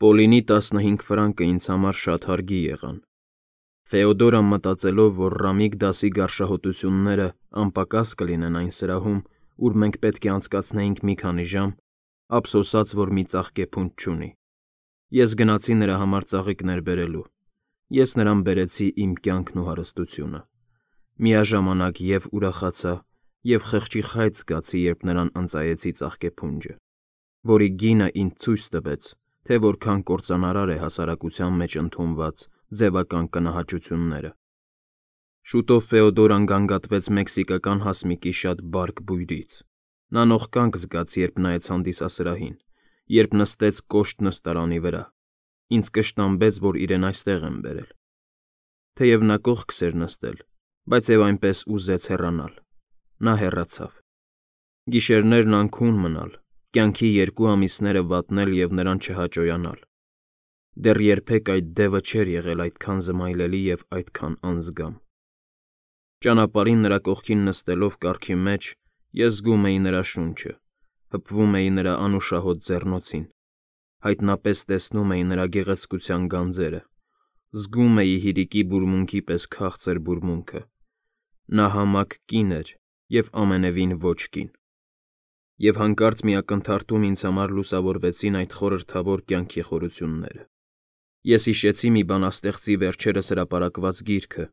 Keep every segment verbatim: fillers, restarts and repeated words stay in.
Պոլինի տասնհինգ ֆրանկը ինձ համար շատ հարգի եղան։ Ֆեոդորան մտածելով, որ Ռամիկ դասի գարշահոտությունները անպակաս կլինեն այն սրահում, ուր մենք պետք է անցկացնեինք մի քանի ժամ, ափսոսաց, որ մի ծաղկեփունջ չունի։ Ես գնացի նրա համար ծաղիկներ բերելու։ Ես նրան բերեցի իմ կյանքն ու հարստությունը։ Միաժամանակ և ուրախացա, և խղճի խայծ զգացի, երբ նրան ընծայեցի ծաղկեփունջը, որի գինը ինձ ցույց տվեց, թե որքան կործանարար է հասարակության մեջ ընդունված ձևական կնահաճությունները։ Շուտով Ֆեոդորան գանգատվեց մեքսիկական հասմիկի շատ բարդ բույրից։ Նա նողկանք զգաց, երբ նայեց հանդիսասրահին, երբ նստեց կոշտ նստարանի վրա, ինձ կշտամբեց, որ իրեն այստեղ եմ բերել։ Թեև նա կողքս էր նստել, բայց և այնպես ուզեց հեռանալ։ Նա հեռացավ։ Գիշերներն անքուն մնալ, կյանքի երկու ամիսները վատնել և նրան չհաճոյանալ։ Դեռ երբեք այդ դևը չէր եղել այդքան զմայլելի և այդքան անզգամ։ Ճանապարհին նրա կողքին նստելով կառքի մեջ, ես զգում էի նրա շունչը, հպվում էի նրա անուշահոտ ձեռնոցին, հայտնապես տեսնում էի նրա գեղեցկության գանձերը, զգում էի հիրիկի բուրմունքի պես քաղցր բուրմունքը։ Նա համակ կին էր և ամենևին ոչ կին։ Եվ հանկարծ մի ակնթարթում ինձ համար լուսավորվեցին այդ խորհրդավոր կյանքի խորությունները։ Ես հիշեցի մի բանաստեղծի վերջերս հրապարակված գիրքը,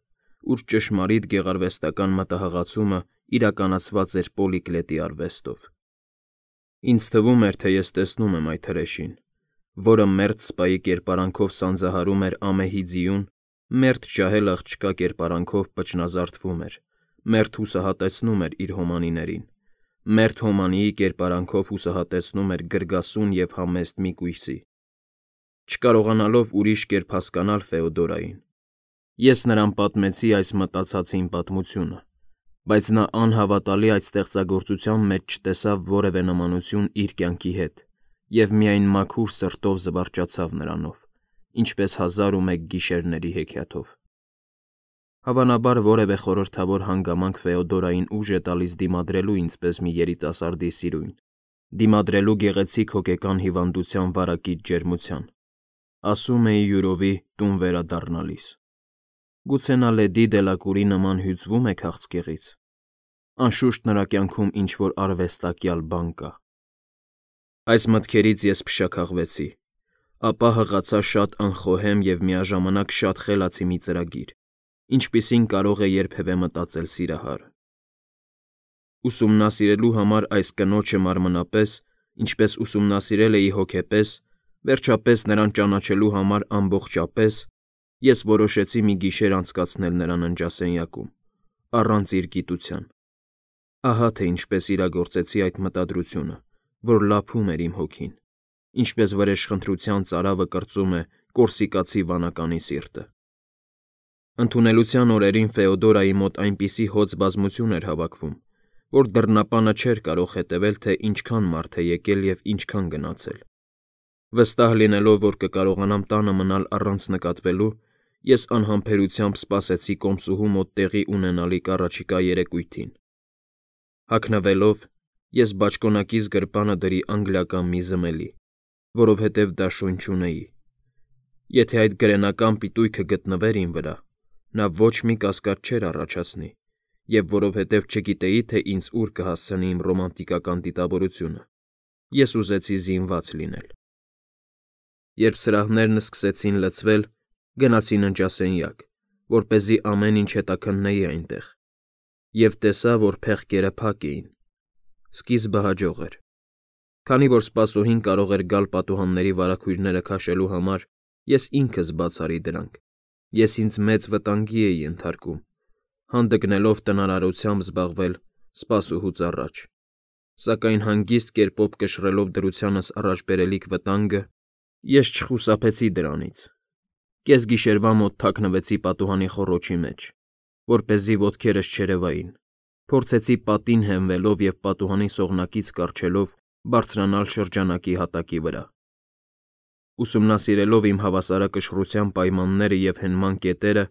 ուր ճշմարիտ գեղարվեստական մտահղացումը իրականացված էր Պոլիկլետի արվեստով։ Ինձ թվում էր, թե ես տեսնում եմ այդ հրեշին, որը մերթ սպայի կերպարանքով սանձահարում էր ամեհի ձիուն, մերթ ջահել աղջկա կերպարանքով պճնազարդվում էր, մերթ հուսահատեցնում էր իր հոմանիներին, մերթ հոմանիի կերպարանքով հուսահատեցնում էր գրգասուն և համեստ մի կույսի։ Չկարողանալով ուրիշ կերպ հասկանալ Ֆեոդորային, ես նրան պատմեցի այս մտածածին պատմությունը, բայց նա անհավատալի այդ ստեղծագործության մեջ չտեսավ որևէ նմանություն իր կյանքի հետ և միայն մաքուր սրտով զվարճացավ նրանով, ինչպես հազար ու մեկ գիշերների հեքիաթով։ Հավանաբար որևէ խորհրդավոր հանգամանք Ֆեոդորային ուժ է տալիս դիմադրելու ինձպես մի երիտասարդի սիրույն, դիմադրելու գեղեցիկ հոգեկան հիվանդության վարակիչ ջերմության, ասում էի յուրովի տուն վերադառնալիս։ Գուցե նա Լեդի Դելակուրի նման հյուծվո՞ւմ է քաղցկեղից։ Անշուշտ նրա կյանքում ինչ-որ արվեստակյալ բան կա։ Այս մտքերից ես փշաքաղվեցի, ապա հղացա շատ անխոհեմ և միաժամանակ շատ խելացի մի ծրագիր, ինչպիսին կարող է երբևէ մտածել սիրահարը։ Ուսումնասիրելու համար այս կնոջը մարմնապես, ինչպես ուսումնասիրել էի հոգեպես, վերջապես նրան ճանաչելու համար ամբողջապես, ես որոշեցի մի գիշեր անցկացնել նրա ննջասենյակում, առանց իր գիտության։ Ահա թե ինչպես իրագործեցի այդ մտադրությունը, որ լափում էր իմ հոգին, ինչպես վրեժխնդրության ծարավը կրծում է կորսիկացի վանականի սիրտը։ Ընդունելության օրերին Ֆեոդորայի մոտ այնպիսի հոծ բազմություն էր հավաքվում, որ դռնապանը չէր կարող հետևել, թե ինչքան մարդ է եկել և ինչքան գնացել։ Վստահ լինելով, որ կկարողանամ տանը մնալ առանց նկատվելու, ես անհամբերությամբ սպասեցի կոմսուհու մոտ տեղի ունենալիք առաջիկա երեկույթին։ Հագնվելով՝ ես բաճկոնակիս գրպանը դրի անգլիական մի զմելի, որովհետև դաշույն չունեի։ Եթե այդ գրենական պիտույքը գտնվեր իմ վրա, նա ոչ մի կասկած չէր առաջացնի, և որովհետև չգիտեի, թե ինձ ուր կհասցնի իմ ռոմանտիկական դիտավորությունը, ես ուզեցի զինված լինել։ Երբ սրահներն սկսեցին լցվել, գնացի ննջասենյակ, որպեսզի ամեն ինչ հետաքննեի այնտեղ, և տեսա, որ փեղկերը փակ էին։ Սկիզբը հաջող էր։ Քանի որ սպասուհին կարող էր գալ պատուհանների վարագույրները քաշելու համար, ես ինքս բաց արի դրանք։ Ես ինձ մեծ վտանգի էի ենթարկում, հանդգնելով տնարարությամբ զբաղվել սպասուհուց առաջ, սակայն հանգիստ կերպով կշռելով դրությանս առաջ բերելիք վտանգը, ես չխուսափեցի դրանից։ Կեսգիշերվա մոտ թաքնվեցի պատուհանի խոռոչի մեջ, որպեսզի ոտքերս չերևային, փորձեցի պատին հենվելով և պատուհանի սողնակից կառչելով բարձրանալ շրջանակի հատակի վրա։ Ուսումնասիրելով իմ հավասարակշռության պայմանները և հենման կետերը,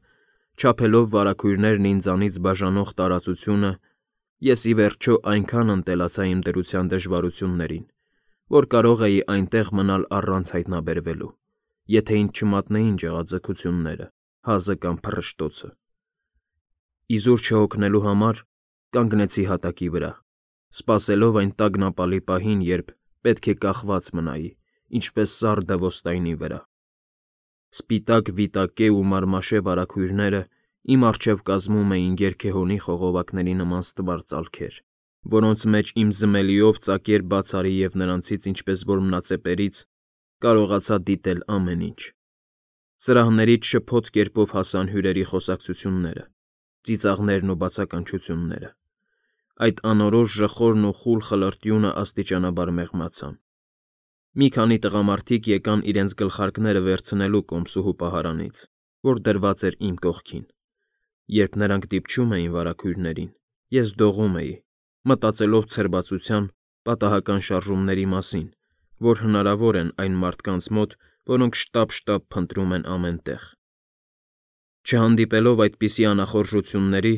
չափելով վարագույրներն ինձանից բաժանող տարածությունը, ես ի վերջո այնքան ընտելացա իմ դրության դժվարություններին, որ կարող էի այնտեղ մնալ առանց հայտնաբերվելու, եթե ինձ չմատնեին ջղաձգությունները, հազը կամ փռշտոցը։ Իզուր չհոգնելու համար կանգնեցի հատակի վրա, սպասելով այն տագնապալի պահին, երբ պետք է կախված մնայի, ինչպես սառը դվոստայնի վրա։ Սպիտակ վիտակե ու մարմաշե վարագույրները իմ առջև կազմում էին երգեհոնի խողովակների նման ստվար ծալքեր, որոնց մեջ իմ զմելիով ծակեր բացարի և նրանցից, ինչպես որ մնացեպերից, կարողացա դիտել ամեն ինչ։ Սրահներից շփոթ կերպով հասան հյուրերի խոսակցությունները, ծիծաղներն ու բացականչությունները։ Այդ անորոշ ժխորն ու խուլ խլրտյունը աստիճանաբար մեղմացան։ Մի քանի տղամարդիկ եկան իրենց գլխարկները վերցնելու կոմսուհու պահարանից, որ դրված էր իմ կողքին։ Երբ նրանք դիպչում էին վարագույրներին, ես դողում էի, մտածելով ցրվածության պատահական շարժումների մասին, որ հնարավոր են այն մարդկանց մոտ, որոնք շտապ-շտապ փնտրում են ամեն տեղ։ Չհանդիպելով այդպիսի անախորժությունների,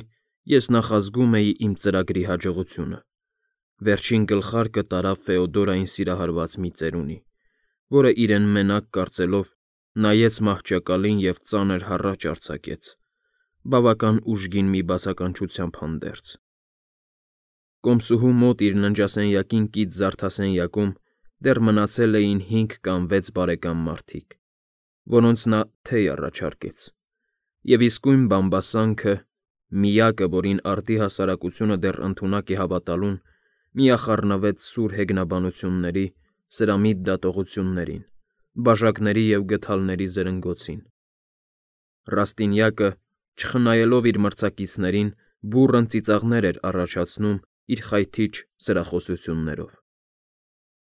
ես նախազգում էի իմ ծրագրի հաջողությունը։ Վերջին գլխարկը տարավ Ֆեոդորային սիրահարված մի ծերունի, որը իրեն մենակ կարծելով նայեց մահճակալին և ծանր հառաչ արձակեց, բավական ուժգին մի բացականչությամբ հանդերձ։ Կոմսուհու մոտ իր ննջասենյակին կից զարդասենյակում դեռ մնացել էին հինգ կամ վեց բարեկամ մարդիկ, որոնց նա թեյ առաջարկեց, և իսկույն բամբասանքը, միակը, որին արդի հասարակությունը դեռ ընդունակ է հավատալուն, միախառնվեց սուր հեգնաբանությունների, սրամիտ դատողություններին, բաժակների և գդալների զրնգոցին։ Ռաստինյակը, չխնայելով իր մրցակիցներին, բուռն ծիծաղներ էր առաջացնում իր խայթիչ սրախոսություններով։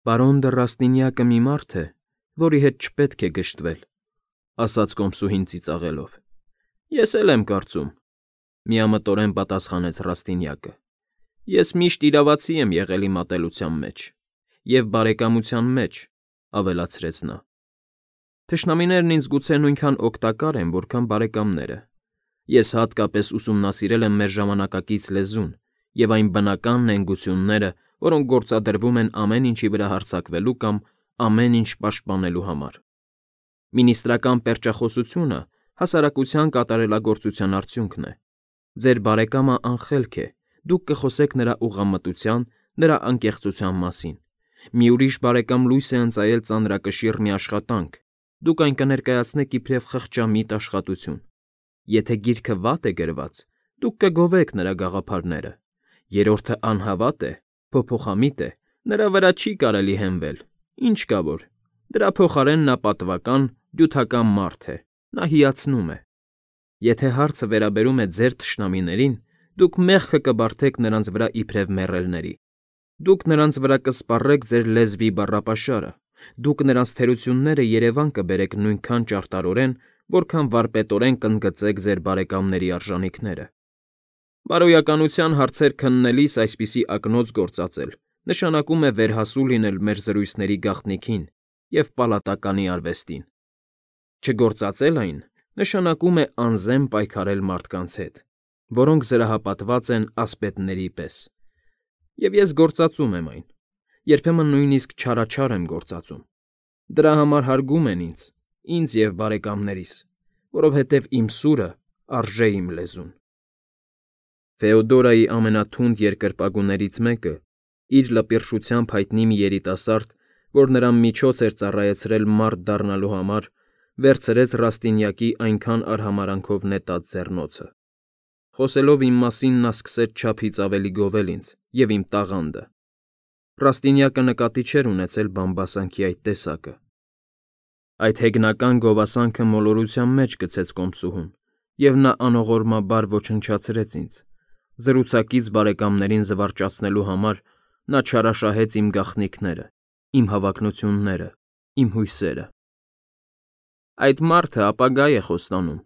«Պարոն դը Ռաստինյակը մի մարդ է, որի հետ չպետք է գժտվել», ասաց կոմսուհին ծիծաղելով։ «Ես էլ եմ կարծում», միամտորեն պատասխանեց Ռաստինյակը։ «Ես միշտ իրավացի եմ եղել իմ ատելության մեջ, և բարեկամության մեջ», ավելացրեց նա։ «Թշնամիներն ինձ գուցե նույնքան օգտակար են, որքան բարեկամները։ Ես հատկապես ուսումնասիրել եմ մեր ժամանակակից լեզուն և այն բնական նենգությունները, որոնք գործադրվում են ամեն ինչի վրա հարձակվելու կամ ամեն ինչ պաշտպանելու համար։ Մինիստրական պերճախոսությունը հասարակության կատարելագործության արդյունքն է։ Ձեր բարեկամը անխելք է, դուք կխոսեք նրա ուղղամտության, նրա անկեղծության մասին։ Մի ուրիշ բարեկամ լույս է ընծայել ծանրակշիռ մի աշխատանք, դուք այն կներկայացնեք իբրև խղճամիտ աշխատություն։ Եթե գիրքը վատ է գրված, դուք կգովեք նրա գաղափարները։ Երրորդը անհավատ է, փոփոխամիտ է, նրա վրա չի կարելի հենվել, ինչ կա որ, դրա փոխարեն նա պատվական, դյութական մարդ է, նա հիացնում է։ Եթե հարցը վերաբերում է ձեր թշնամիներին, դուք մեղքը կբարդեք նրանց վրա իբրև մեռելների։ Դուք նրանց վրա կսպառեք ձեր լեզվի բառապաշարը, դուք նրանց թերությունները երևան կբերեք նույնքան ճարտարորեն, որքան վարպետորեն կընդգծեք ձեր բարեկամների արժանիքները։ Բարոյականության հարցեր քննելիս այսպիսի ակնոց գործածել նշանակում է վերհասու լինել մեր զրույցների գաղտնիքին և պալատականի արվեստին։ Չգործածել այն նշանակում է անզեմ պայքարել մարդկանց հետ, որոնք զրահապատված են ասպետների պես։ Եվ ես գործածում եմ այն, երբեմն նույնիսկ չարաչար եմ գործածում։ Դրա համար հարգում են ինձ, ինձ և բարեկամներիս, որովհետև իմ սուրը արժե իմ լեզուն։ Ֆեոդորայի ամենաթունդ երկրպագուներից մեկը, իր լպիրշությամբ հայտնի մի երիտասարդ, որ նրան միջոց էր ծառայեցրել մարդ դառնալու համար, վերցրեց Ռաստինյակի այնքան արհամարհանքով նետած ձեռնոցը։ Խոսելով իմ մասին նա սկսեց չափից ավելի գովել ինձ և իմ տաղանդը։ Ռաստինյակը նկատի չէր ունեցել բամբասանքի այդ տեսակը։ Այդ հեգնական գովասանքը մոլորության մեջ գցեց կոմսուհուն, և նա անողորմաբար ոչնչացրեց ինձ։ Զրուցակից բարեկամներին զվարճացնելու համար նա չարաշահեց իմ գաղտնիքները, իմ հավակնությունները, իմ հույսերը։ «Այդ մարդը ապագա է խոստանում»,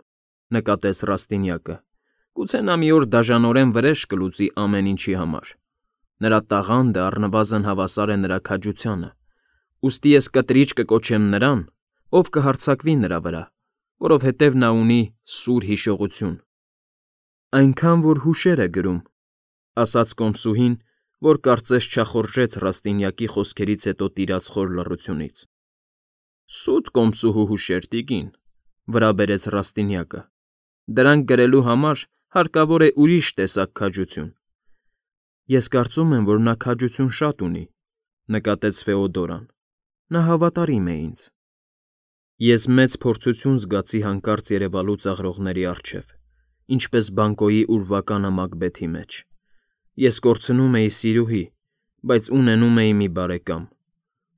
նկատեց Ռաստինյակը։ «Գուցե նա մի օր դաժանորեն վրեժ կլուծի ամեն ինչի համար։ Նրա տաղանդը առնվազն հավասար է նրա քաջությանը, ուստի ես կտրիչ կկոչեմ նրան, ով կհարձակվի նրա վրա, որովհետև նա ունի սուր հիշողություն»։ «Այնքան, որ հուշեր է գրում», ասաց կոմսուհին, որ կարծես չախորժեց Ռաստինյակի խոսքերից հետո տիրած խոր լռությունից։ Սուտ կոմսուհու հուշեր, տիկին, վրա բերեց Ռաստինյակը։ Դրանք գրելու համար հարկավոր է ուրիշ տեսակ քաջություն։ Ես կարծում եմ, որ նա քաջություն շատ ունի, նկատեց Ֆեոդորան։ Նա հավատարիմ է ինձ։ Ես մեծ փորձություն զգացի հանկարծ երևալու ծաղրողների առջև, ինչպես բանկոյի ուրվականը Մակբեթի մեջ։ Ես կորցնում էի սիրուհի, բայց ունենում էի մի բարեկամ։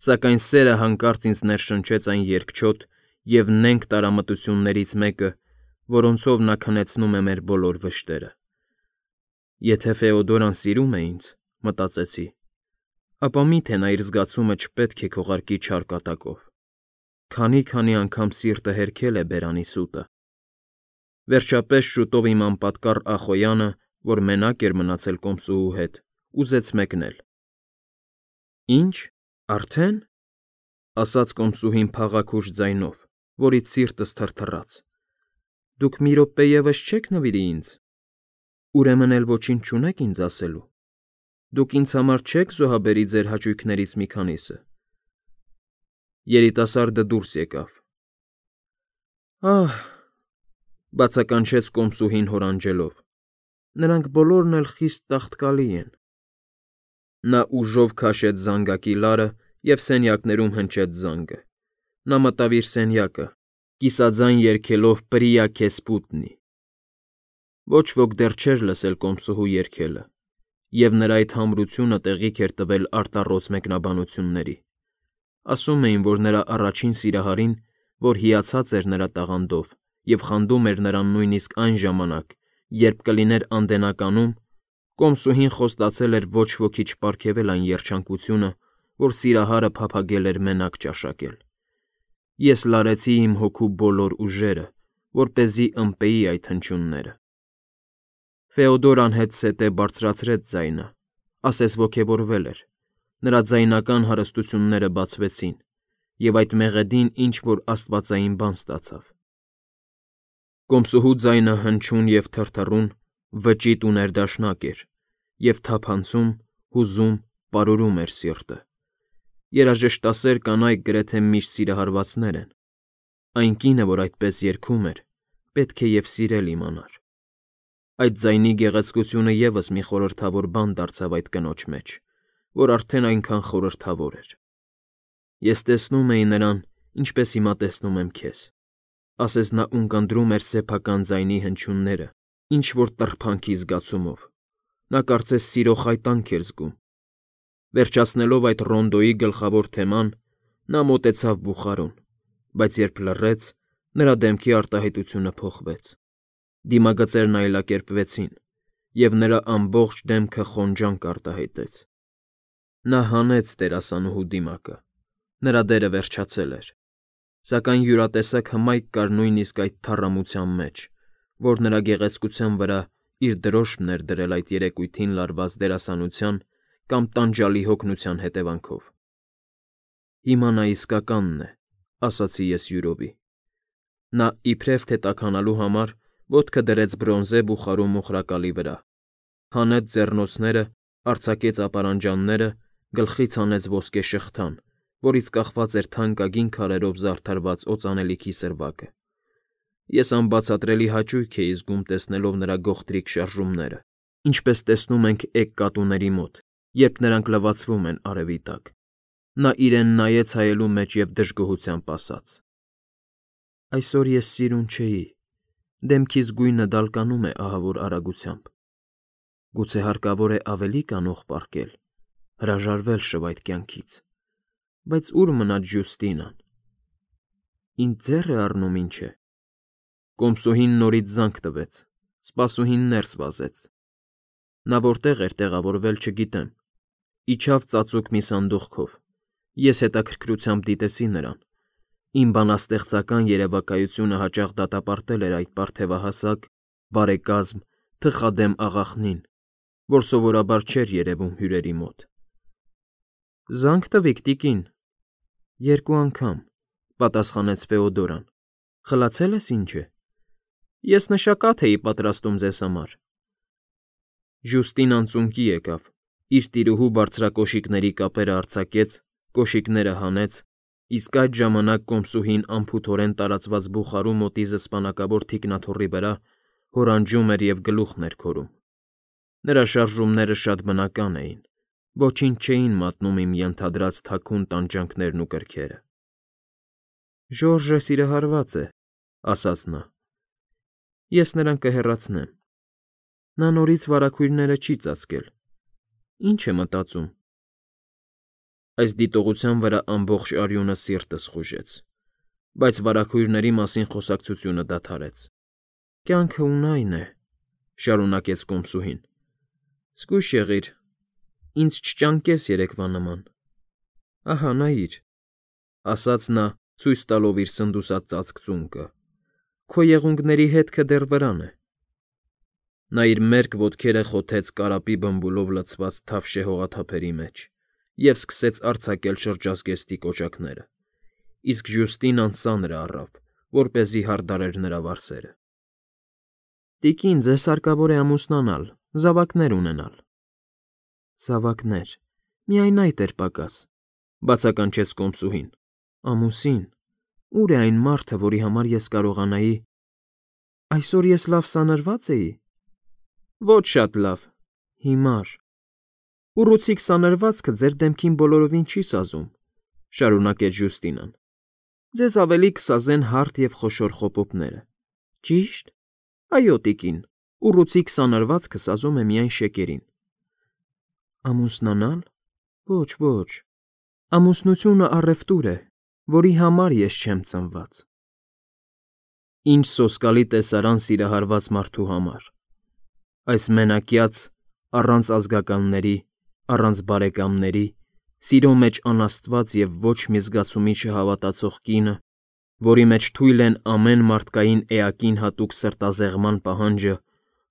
Սակայն սերը հանկարծ ինձ ներշնչեց այն երկչոտ և նենգ տարամտություններից մեկը, որոնցով նա քնեցնում է մեր բոլոր վշտերը։ Եթե Ֆեոդորան սիրում է ինձ, մտածեցի, ապա միթե նա իր զգացումը չպետք է քողարկի չար կատակով։ Քանի-քանի անգամ սիրտը հերքել է բերանի սուտը։ Վերջապես շուտով իմ անպատկառ Ախոյանը, որ մենակ էր մնացել կոմսուհու հետ, ուզեց մեկնել։ Ինչ, արդեն, ասաց կոմսուհին փաղաքուշ ձայնով, որից սիրտս թրթռաց։ Դուք մի րոպե ևս չեք նվիրի ինձ։ Ուրեմն էլ ոչինչ չունեք ինձ ասելու։ Դուք ինձ համար չեք զոհաբերի ձեր հաճույքներից մի քանիսը։ Երիտասարդը դուրս եկավ։ Ահ, բացականչեց կոմսուհին հորանջելով։ Նրանք բոլորն էլ խիստ տաղտկալի են։ Նա ուժով քաշեց զանգակի լարը և սենյակներում հնչեց զանգը։ Նա մտավ իր սենյակը, կիսաձայն երգելով «Պրիա քեզ պուտնի»։ Ոչ ոք դեռ չէր լսել կոմսուհու երգելը, և նրա այդ համրությունը տեղիք էր տվել արտառոց մեկնաբանությունների։ Ասում էին, որ նրա առաջին սիրահարին, որ հիացած էր նրա տաղանդով և խանդում էր նրան նույնիսկ այն ժամանակ, երբ կլիներ անդենականում, կոմսուհին խոստացել էր ոչ ոքի չպարգևել այն երջանկությունը, որ սիրահարը փափագել էր մենակ ճաշակել։ Ես լարեցի իմ հոգու բոլոր ուժերը, որպեսզի ըմպեի այդ հնչյունները։ Ֆեոդորան հետզհետե բարձրացրեց ձայնը, ասես ոգևորվել էր։ Նրա ձայնական հարստությունները բացվեցին, և այդ մեղեդին ինչ-որ աստվածային բան ստացավ։ Կոմսուհու ձայնը հնչուն և թրթռուն, վճիտ ու ներդաշնակ էր, և թափանցում, հուզում, պարուրում էր սիրտը։ Երաժշտասեր կանայք գրեթե միշտ սիրահարվածներ են։ Այն կինը, որ այդպես երգում էր, պետք է և սիրել իմանար։ Այդ ձայնի գեղեցկությունը ևս մի խորհրդավոր բան դարձավ այդ կնոջ մեջ, որ արդեն այնքան խորհրդավոր էր։ Ես տեսնում էի նրան, ինչպես հիմա տեսնում եմ քեզ, ասես նա ունկնդրում էր սեփական ձայնի հնչյունները, ինչ-որ տրփանքի զգացումով։ Նա կարծես սիրո խայտանք էր զգում։ Վերջացնելով այդ ռոնդոյի գլխավոր թեման, նա մոտեցավ բուխարուն, բայց երբ լռեց, նրա դեմքի արտահայտությունը փոխվեց։ Դիմագծերն այլակերպվեցին, և նրա ամբողջ դեմքը խոնջանք արտահայտեց։ Նա հանեց դերասանուհու դիմակը։ Նրա դերը վերջացել էր։ Սակայն յուրատեսակ հմայք կար նույնիսկ այդ թառամության մեջ, որ նրա գեղեցկության վրա իր դրոշմն էր դրել այդ երեկույթին լարված դերասանության կամ տանջալի հոգնության հետևանքով։ Հիմա նա իսկականն է, ասացի ես յուրովի։ Նա իբրև թե տաքանալու համար ոտքը դրեց բրոնզե բուխարու մոխրակալի վրա, հանեց ձեռնոցները, արձակեց ապարանջանները, գլխից հանեց ոսկե շղթան, որից կախված էր թանկագին քարերով զարդարված օծանելիքի սրվակը։ Ես անբացատրելի հաճույք էի զգում տեսնելով նրա գողտրիկ շարժումները, ինչպես տեսնում ենք էգ կատուների մոտ, երբ նրանք լվացվում են արևի տակ։ Նա իրեն նայեց հայելու մեջ և դժգոհությամբ ասաց. Այսօր ես սիրուն չէի, դեմքիս գույնը դալկանում է ահավոր արագությամբ։ Գուցե հարկավոր է ավելի կանող պառկել, հրաժարվել շվայտ կյանքից։ Բայց ուր մնաց Ջյուստինան։ Ինձ ձեռ է առնում, ինչ է։ Կոմսուհին նորից զանգ տվեց, սպասուհին ներս վազեց։ Նա որտեղ էր տեղավորվել, չգիտեմ։ Իջավ ծածուկ մի սանդուղքով։ Ես հետաքրքրությամբ դիտեցի նրան։ Իմ բանաստեղծական երևակայությունը հաճախ դատապարտել էր այդ պարթևահասակ, բարեկազմ, թխադեմ աղախնին, որ սովորաբար չէր երևում հյուրերի մոտ։ Զանգ տվիք, տիկին։ Երկու անգամ, պատասխանեց Ֆեոդորան։ Խլացել ես ինչ է։ Ես նշակատ էի պատրաստում ձեզ համար։ Ժուստինան ծունկի եկավ, իր տիրուհու բարձրակոշիկների կապերը արձակեց, կոշիկները հանեց Իսկ այդ ժամանակ կոմսուհին անփութորեն տարածված բուխարու մոտի զսպանակավոր թիկնաթոռի վրա հորանջում էր և գլուխն էր քորում։ Նրա շարժումները շատ բնական էին, ոչինչ չէին մատնում իմ ենթադրած թաքուն տանջանքներն ու կրքերը։ «Ժորժը սիրահարված է», ասաց նա։ «Ես նրան կհեռացնեմ։ Նա նորից վարագույրները չի ծածկել։ Ի՞նչ է մտածում»։ Այս դիտողության վրա ամբողջ արյունը սիրտս խուժեց, բայց վարագույրների մասին խոսակցությունը դադարեց։ «Կյանքը ունայն է», շարունակեց կոմսուհին։ «Զգույշ եղիր, ինձ չճանկես երեկվա նման։ Ահա, նայիր», ասաց նա, ցույց տալով իր սնդուսած ծածկ ծունկը։ «Քո եղունգների հետքը դեռ վրան է»։ Նա իր մերկ ոտքերը խոթեց կարապի բմբուլով լցված թավշե հողաթափերի մեջ և սկսեց արձակել շրջազգեստի կոճակները, իսկ Ժյուստինան սանրը առավ, որպեսզի հարդարեր նրա վարսերը։ «Տիկին, ձեզ հարկավոր է ամուսնանալ, զավակներ ունենալ»։ «Զավակներ, միայն այդ էր պակաս», բացականչեց կոմսուհին։ «Ամուսին, ո՞ւր է այն մարդը, որի համար ես կարողանայի… Այսօր ես լավ սանրվա՞ծ էի»։ «Ոչ շատ լավ, հիմար»։ «Ուռուցիկ սանրվածքը ձեր դեմքին բոլորովին չի սազում», շարունակեց Ժյուստինան։ «Ձեզ ավելի կսազեն հարթ և խոշոր խոպոպները։ Ճի՞շտ։ Այո, տիկին, ուռուցիկ սանրվածքը սազում է միայն շեկերին»։ «Ամուսնանալ… Ոչ, ոչ։ Ամուսնությունը առևտուր է, որի համար ես չեմ ծնված»։ Ինչ սոսկալի տեսարան սիրահարված մարդու համար… Այս մենակյաց, առանց ազգականների, առանց բարեկամների, սիրո մեջ անաստված և ոչ մի զգացումի չհավատացող կինը, որի մեջ թույլ են ամեն մարդկային էակին հատուկ սրտազեղման պահանջը,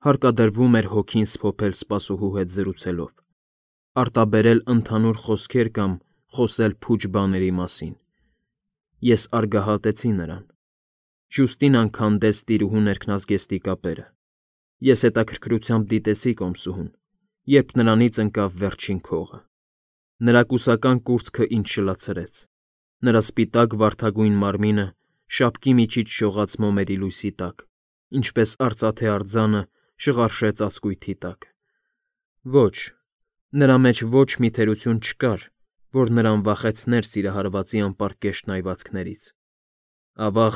հարկադրվում էր հոգին սփոփել սպասուհու հետ զրուցելով, արտաբերել ընդհանուր խոսքեր կամ խոսել փուչ բաների մասին։ Ես արգահատեցի նրան։ Ժյուստինան քանդեց տիրուհու ներքնազգեստի կապերը։ Ես հետաքրքրությամբ դիտեցի կոմսուհուն, երբ նրանից ընկավ վերջին քողը։ Նրա կուսական կուրծքը ինձ շլացրեց, նրա սպիտակ վարդագույն մարմինը շապկի միջից շողաց մոմերի լույսի տակ, ինչպես արծաթե արձանը շղարշե ծածկույթի տակ։ Ոչ, նրա մեջ ոչ մի թերություն չկար, որ նրան վախեցներ սիրահարվածի անպարկեշտ նայվածքներից։ Ավաղ,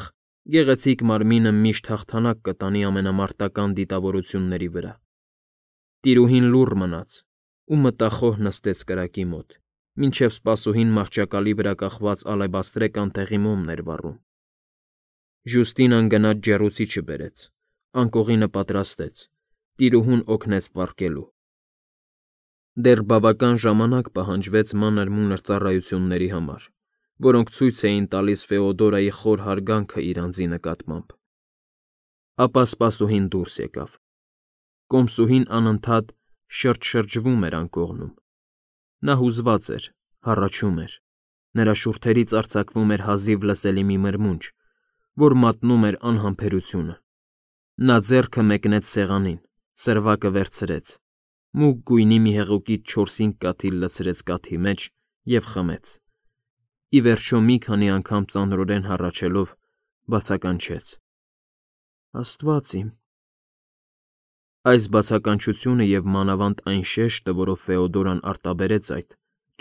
գեղեցիկ մարմինը միշտ հաղթանակ կտանի ամենամարտական դիտավորությունների վրա։ Տիրուհին լուռ մնաց ու մտախոհ նստեց կրակի մոտ, մինչև սպասուհին մահճակալի վրա կախված ալեբաստրե կանթեղի մոմն էր վառում։ Ժյուստինան գնաց ջեռուցիչը բերեց, անկողինը պատրաստեց, տիրուհուն օգնեց պառկելու։ Դեռ բավական ժամանակ պահանջվեց մանր֊մունր ծառայությունների համար, որոնք ցույց էին տալիս Ֆեոդորայի խոր հարգանքը իր անձի նկատմամբ։ Ապա սպասուհին դուրս եկավ։ Կոմսուհին անընդհատ շրջշրջվում էր անկողնում։ Նա հուզված էր, հառաչում էր։ Նրա շուրթերից արձակվում էր հազիվ լսելի մի մրմունջ, որ մատնում էր անհամբերությունը։ Նա ձեռքը մեկնեց սեղանին, սրվակը վերցրեց, մուգ գույնի մի հեղուկից չորսինգ կաթիլ լցրեց կաթի մեջ և խմեց։ Ի վերջո մի քանի անգամ ծանրորեն հառաչելով, բացականչեց. «Աստված իմ»։ Այս բացականչությունը և մանավանդ այն շեշտը, որով Ֆեոդորան արտաբերեց այդ,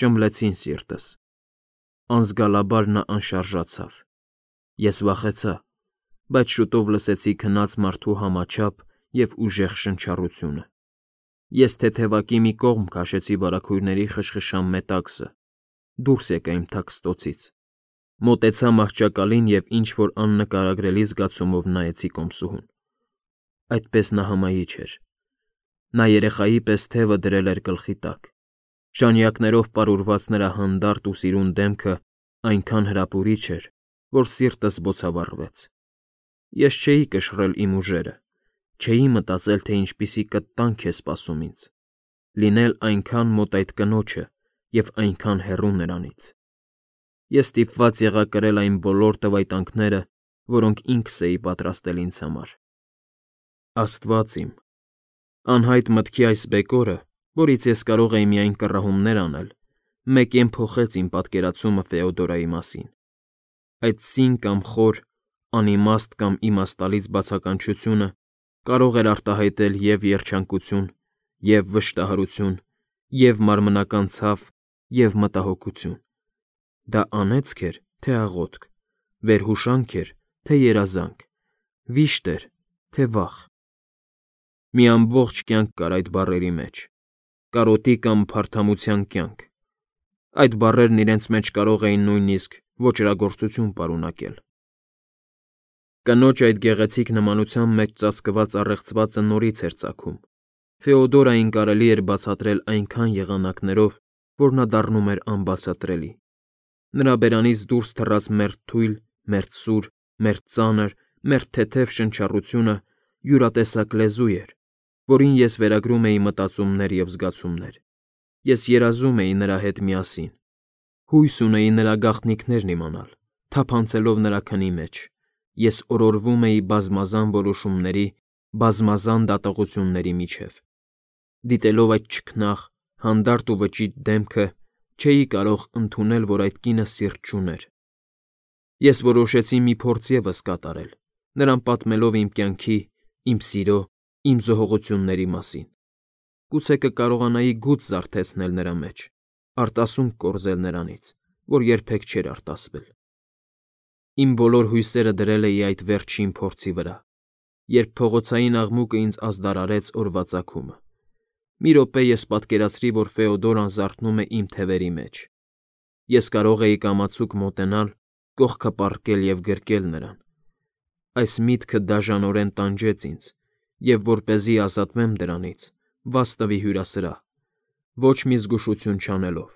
ճմլեցին սիրտս։ Անզգալաբար նա անշարժացավ։ Ես վախեցա, բայց շուտով լսեցի քնած մարդու համաչափ և ուժեղ շնչառությունը։ Ես թեթևակի մի կողմ քաշեցի վարագույրների խշխշան մետաքսը, դուրս եկա իմ թաքստոցից, մոտեցա մահճակալին և ինչ֊որ աննկարագրելի զգացումով նայեցի կոմսուհուն։ Այդպես նա հմայիչ էր։ Նա երեխայի պես թևը դրել էր գլխի տակ։ Ժանյակներով պարուրված նրա հանդարտ ու սիրուն դեմքը այնքան հրապուրիչ էր, որ սիրտս բոցավառվեց։ Ես չէի կշռել իմ ուժերը, չէի մտածել, թե ինչպիսի կտանք է սպասում ինձ՝ լինել այնքան մոտ այդ կնոջը և այնքան հեռու նրանից։ Ես ստիպված եղա կրել այն բոլոր տվայտանքները, որոնք ինքս էի պատրաստել ինձ համար։ Աստված իմ… Անհայտ մտքի այս բեկորը, որից ես կարող էի միայն կռահումներ անել, մեկեն փոխեց իմ պատկերացումը Ֆեոդորայի մասին։ Այդ սին կամ խոր, անիմաստ կամ իմաստալից բացականչությունը կարող էր արտահայտել և երջանկություն, և վշտահարություն, և մարմնական ցավ, և մտահոգություն. դա անեծք էր, թե աղոթք, վերհուշանք էր, թե երազանք, վիշտ էր, թե վախ։ Մի ամբողջ կյանք կար այդ բառերի մեջ, կարոտի կամ փարթամության կյանք. այդ բառերն իրենց մեջ կարող էին նույնիսկ ոճրագործություն պարունակել։ Կնոջ այդ գեղեցիկ նմանության մեջ ծածկված առեղծվածը նորից էր ծագում. Ֆեոդորային կարելի էր բացատրել այնքան եղանակներով, որ նա դառնում էր անբացատրելի։ Նրա բերանից դուրս թռած մերթ թույլ, մերթ սուր, մերթ ծանր, մերթ թեթև շնչառությունը յուրատեսակ լեզու էր, որին ես վերագրում էի մտածումներ և զգացումներ։ Ես երազում էի նրա հետ միասին, հույս ունեի նրա գաղտնիքներն իմանալ, թափանցելով նրա քնի մեջ։ Ես օրորվում էի բազմազան որոշումների, բազմազան դատողությունների միջև։ Դիտելով այդ չքնաղ, հանդարտ ու վճիտ դեմքը, չէի կարող ընդունել, որ այդ կինը սիրտ չուներ։ Ես որոշեցի մի փորձ ևս կատարել, նրան պատմելով իմ կյանքի, իմ սիրո, իմ զոհողությունների մասին։ Գուցե կկարողանայի գութ զարթեցնել նրա մեջ, արտասունք կորզել նրանից, որ երբեք չէր արտասվել։ Իմ բոլոր հույսերը դրել էի այդ վերջին փորձի վրա, երբ փողոցային աղմուկը ինձ ազդարարեց օրվա ծագումը։ Մի րոպե ես պատկերացրի, որ Ֆեոդորան զարթնում է իմ թևերի մեջ։ Ես կարող էի կամացուկ մոտենալ, կողքը պառկել և գրկել նրան։ Այս միտքը դաժանորեն տանջեց ինձ, և որպեսզի ազատվեմ դրանից, վազ տվի հյուրասրահ, ոչ մի զգուշություն չանելով։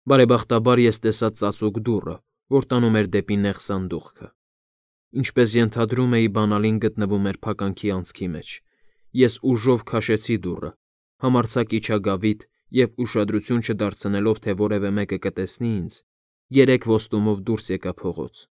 Բարեբախտաբար ես տեսա ծածուկ դուռը, որ տանում էր դեպի նեղ սանդուղքը։ Ինչպես ենթադրում էի, բանալին գտնվում էր փականքի անցքի մեջ։ Ես ուժով քաշեցի դուռը, համարձակ իջա գավիթ և, ուշադրություն չդարձնելով, թե որևէ մեկը կտեսնի ինձ, երեք ոստումով դուրս եկա փողոց։